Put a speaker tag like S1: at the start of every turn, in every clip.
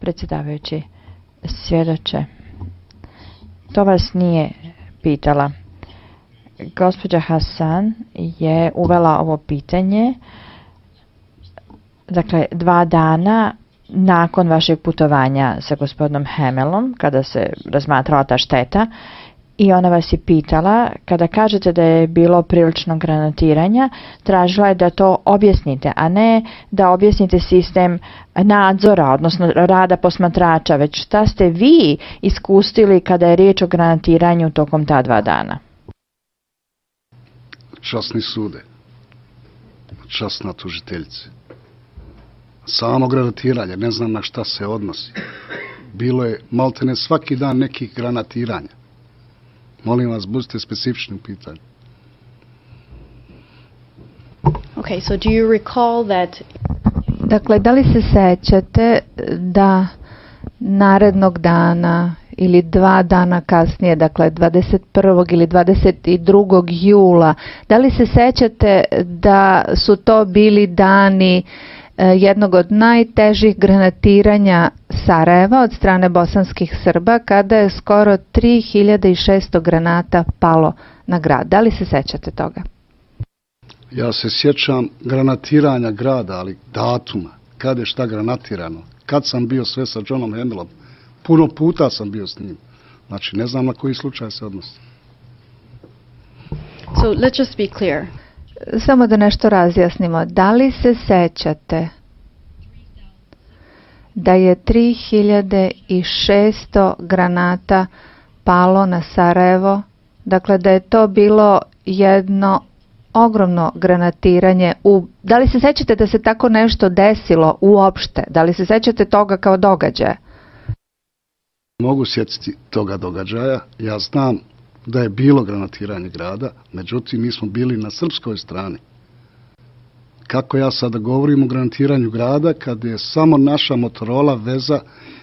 S1: Predsjedavajući, svjedoče, to vas nije pitala. Gospođa Hasan je uvela ovo pitanje, dakle, 2 dana nakon vašeg putovanja sa gospodinom Hamelom, kada se razmatrala ta šteta, i ona vas je pitala, kada kažete da je bilo prilično granatiranja, tražila je da to objasnite, a ne da objasnite sistem nadzora, odnosno rada posmatrača, već šta ste vi iskusili kada je riječ o granatiranju tokom ta 2 dana?
S2: Časni sude, časna tužiteljice. Samo granatiranje, ne znam na šta se odnosi. Bilo je maltene svaki dan nekih granatiranja. Molim vas, budite specifični u pitanju.
S3: Okay, so do you recall that...
S4: Dakle, da li se sećate da narednog dana ili 2 dana kasnije, dakle 21. ili 22. jula, da li se sećate da su to bili dani jednog od najtežih granatiranja Sarajeva od strane bosanskih Srba, kada je skoro 3600 granata palo na grad? Da li se sećate toga?
S2: Ja se sjećam granatiranja grada, ali datuma, kada je šta granatirano, kad sam bio sve sa Johnom Hamelom, puno puta sam bio s njim. Znači, ne znam na koji slučaj se odnosi.
S3: So let's just be clear.
S4: Samo da nešto razjasnimo. Da li se sećate da je 3600 granata palo na Sarajevo? Dakle, da je to bilo jedno ogromno granatiranje. Da li se sećate da se tako nešto desilo uopšte? Da li se sećate toga kao događaja?
S2: Mogu sjetiti toga događaja. Ja znam da je bilo granatiranje grada, međutim mi smo bili na srpskoj strani. Kako ja sada govorim o granatiranju grada kad je samo naša Motorola veza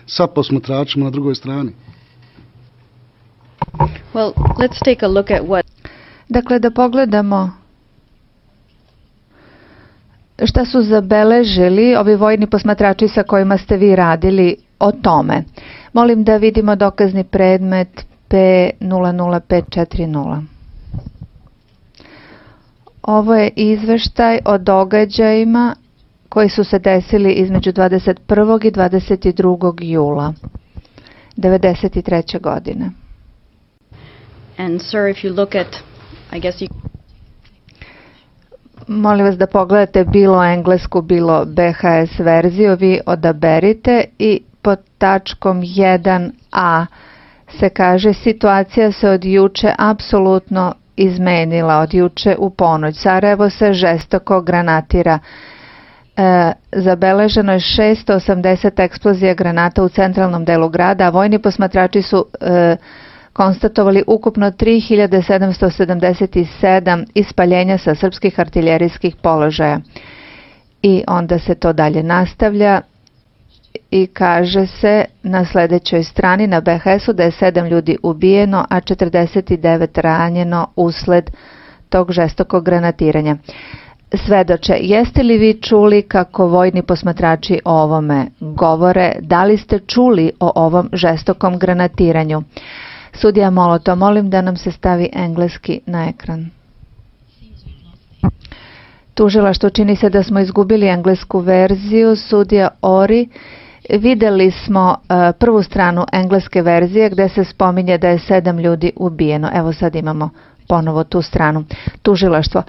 S2: sa posmatračima na drugoj strani?
S3: Well, let's take a look at what...
S4: Dakle, da pogledamo šta su zabeležili ovi vojni posmatrači sa kojima ste vi radili o tome. Molim da vidimo dokazni predmet P00540. Ovo je izveštaj o događajima koji su se desili između 21. i 22. jula 1993. godine.
S3: And sir, if you look at, I guess you...
S4: Molim vas da pogledate bilo englesku, bilo BHS verziju, vi odaberite i pod tačkom 1a se kaže: situacija se od juče apsolutno izmenila, od juče u ponoć. Sarajevo se žestoko granatira. Zabeleženo je 680 eksplozija granata u centralnom delu grada, a vojni posmatrači su konstatovali ukupno 3777 ispaljenja sa srpskih artiljerijskih položaja. I onda se to dalje nastavlja i kaže se na sljedećoj strani na BHS-u da je 7 ljudi ubijeno, a 49 ranjeno usled tog žestokog granatiranja. Svedoče, jeste li vi čuli kako vojni posmatrači o ovome govore? Da li ste čuli o ovom žestokom granatiranju? Sudija Moloto, molim da nam se stavi engleski na ekran. Tužilaštvo, čini se da smo izgubili englesku verziju. Sudija Ori, videli smo prvu stranu engleske verzije gdje se spominje da je 7 ljudi ubijeno. Evo sad imamo ponovo tu stranu. Tužilaštvo,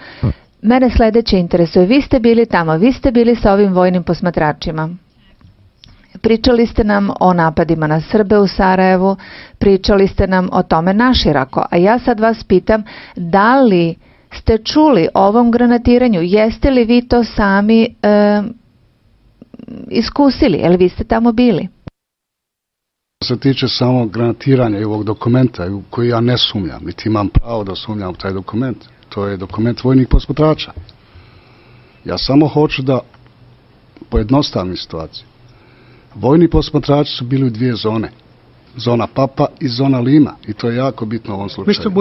S4: mene sljedeće interesuje. Vi ste bili tamo, vi ste bili sa ovim vojnim posmatračima. Pričali ste nam o napadima na Srbe u Sarajevu, pričali ste nam o tome naširoko, a ja sad vas pitam, da li ste čuli o ovom granatiranju? Jeste li vi to sami iskusili? Jel vi ste tamo bili?
S2: Što se tiče samog granatiranja i ovog dokumenta, u koji ja ne sumnjam, niti imam pravo da sumnjam u taj dokument, to je dokument vojnih posmatrača. Ja samo hoću da pojednostavim situaciju. Vojni posmatrači su bili u 2 zone. Zona Papa i zona Lima. I to je jako bitno u ovom slučaju.
S5: Mr.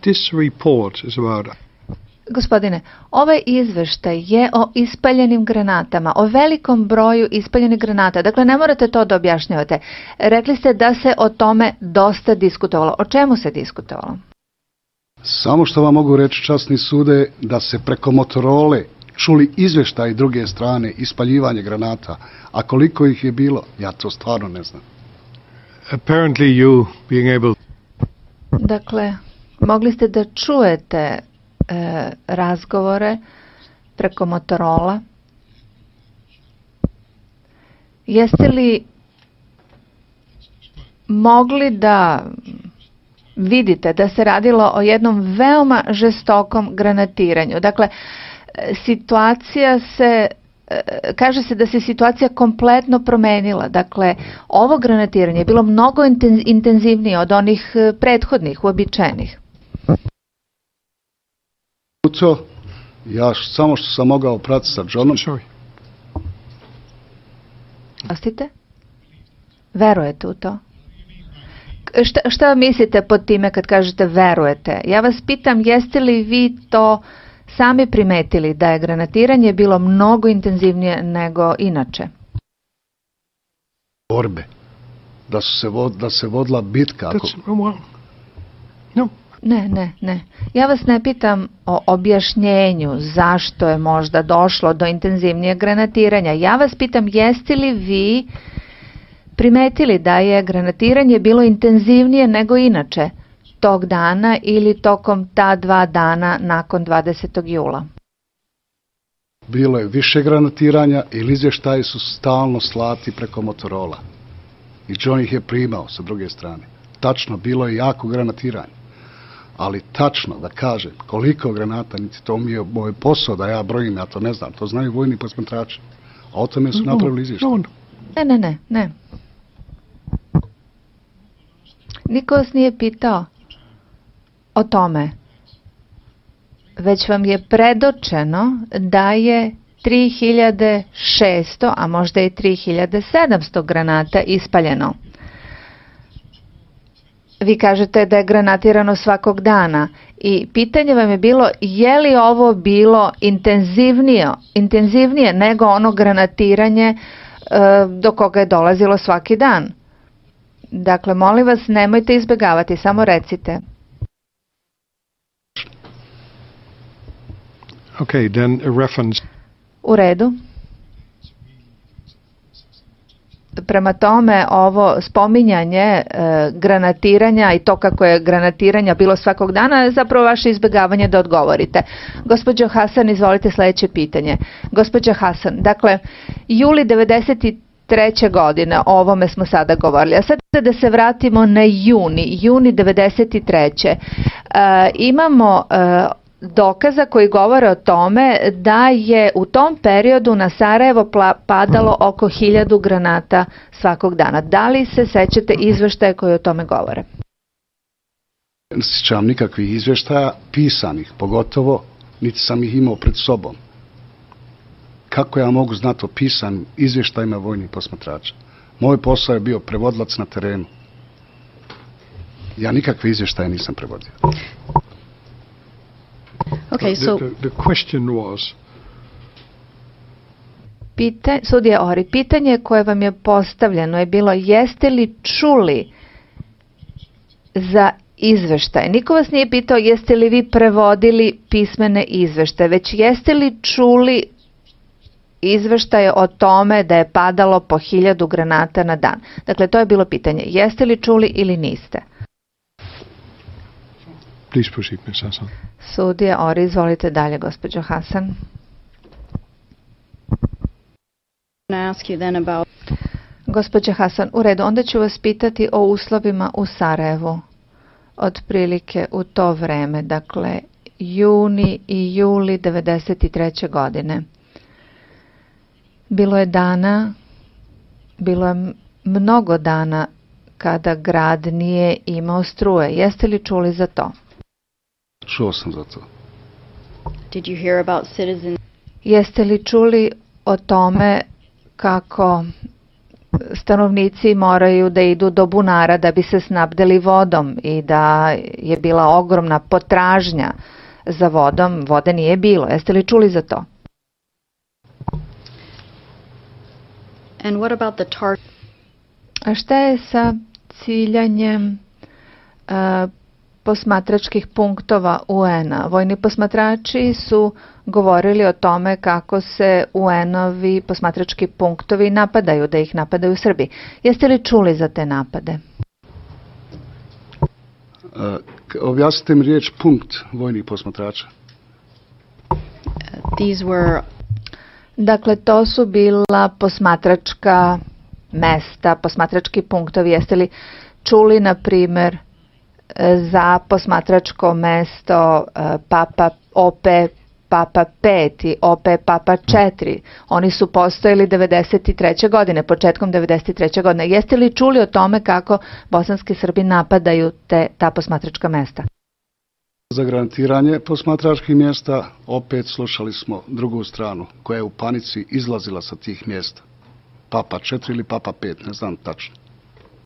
S5: This report is about...
S4: Gospodine, ovaj izveštaj je o ispaljenim granatama, o velikom broju ispaljenih granata. Dakle, ne morate to da objašnjavate. Rekli ste da se o tome dosta diskutovalo. O čemu se diskutovalo?
S2: Samo što vam mogu reći, časni sude, da se preko Motorole čuli izveštaj druge strane, ispaljivanje granata. A koliko ih je bilo, ja to stvarno ne znam.
S5: Apparently you being able...
S4: Dakle, mogli ste da čujete razgovore preko Motorola. Jeste li mogli da vidite da se radilo o jednom veoma žestokom granatiranju? Dakle, kaže se da se situacija kompletno promenila. Dakle, ovo granatiranje je bilo mnogo intenzivnije od onih prethodnih, uobičajenih.
S2: Ja samo što sam mogao pratiti sa Johnom.
S4: Ostite? Verujete u to? Šta mislite pod time kad kažete verujete? Ja vas pitam, jeste li vi to sami primetili da je granatiranje bilo mnogo intenzivnije nego inače?
S2: Borbe. Da se vodila bitka.
S5: No.
S4: Ne. Ja vas ne pitam o objašnjenju zašto je možda došlo do intenzivnijeg granatiranja. Ja vas pitam, jeste li vi primetili da je granatiranje bilo intenzivnije nego inače tog dana ili tokom ta 2 dana nakon 20. jula?
S2: Bilo je više granatiranja ili izvještaji su stalno slati preko Motorola. I John ih je primao sa druge strane. Tačno, bilo je jako granatiranje. Ali tačno da kažem koliko granata, niti to mi je moj posao da ja brojim, ja to ne znam. To znaju vojni posmatrači. A o tome su napravili izvještaj.
S4: Ne. Niko vas nije pitao o tome. Već vam je predočeno da je 3600, a možda i 3700 granata ispaljeno. Vi kažete da je granatirano svakog dana i pitanje vam je bilo je li ovo bilo intenzivnije nego ono granatiranje do koga je dolazilo svaki dan. Dakle, molim vas, nemojte izbjegavati, samo recite.
S5: Okay, then a reference.
S4: U redu. Prema tome, ovo spominjanje granatiranja i to kako je granatiranja bilo svakog dana je zapravo vaše izbjegavanje da odgovorite. Gospođo Hasan, izvolite sljedeće pitanje. Gospođo Hasan, dakle, juli 93. godine, o ovome smo sada govorili, a sad da se vratimo na juni 93. Imamo dokaza koji govore o tome da je u tom periodu na Sarajevo padalo oko 1000 granata svakog dana. Da li se sećate izveštaje koji o tome govore?
S2: Ne sjećam nikakvih izveštaja, pisanih pogotovo, niti sam ih imao pred sobom. Kako ja mogu znati o pisanim izvještajima vojnih posmatrača? Moj posao je bio prevodilac na terenu. Ja nikakve izvještaje nisam prevodio.
S3: Okay, so
S5: The question was...
S4: Sudija Ori, pitanje koje vam je postavljeno je bilo jeste li čuli za izveštaj? Niko vas nije pitao jeste li vi prevodili pismene izveštaje, već jeste li čuli izveštaje o tome da je padalo po 1000 granata na dan. Dakle, to je bilo pitanje. Jeste li čuli ili niste?
S5: Please proceed, Ms. Hassan.
S4: Sudija Ori, izvolite dalje, gospođo Hasan. Gospođo Hasan, u redu, onda ću vas pitati o uslovima u Sarajevu. Otprilike u to vreme, dakle, juni i juli 93. godine. Bilo je mnogo dana kada grad nije imao struje. Jeste li čuli za to?
S2: Čuo sam za to.
S3: did you hear about citizens?
S4: Jeste li čuli o tome kako stanovnici moraju da idu do bunara da bi se snabdeli vodom i da je bila ogromna potražnja za vodom, vode nije bilo. Jeste li čuli za to?
S3: And what about the
S4: A šta je sa ciljanjem posmatračkih punktova UN-a? Vojni posmatrači su govorili o tome kako se UN-ovi posmatrački punktovi napadaju, da ih napadaju Srbi. Jeste li čuli za te napade?
S2: Objasnite mi riječ punkt vojnih posmatrača.
S3: These were
S4: Dakle, to su bila posmatračka mesta, posmatrački punktovi. Jeste li čuli, na primjer, za posmatračko mesto Papa OP Papa 5 i OP Papa 4? Oni su postojali 93. godine, početkom 93. godine. Jeste li čuli o tome kako bosanski Srbi napadaju ta posmatračka mesta?
S2: Za garantiranje posmatračkih mjesta opet slušali smo drugu stranu koja je u panici izlazila sa tih mjesta. Papa 4 ili Papa 5, ne znam tačno.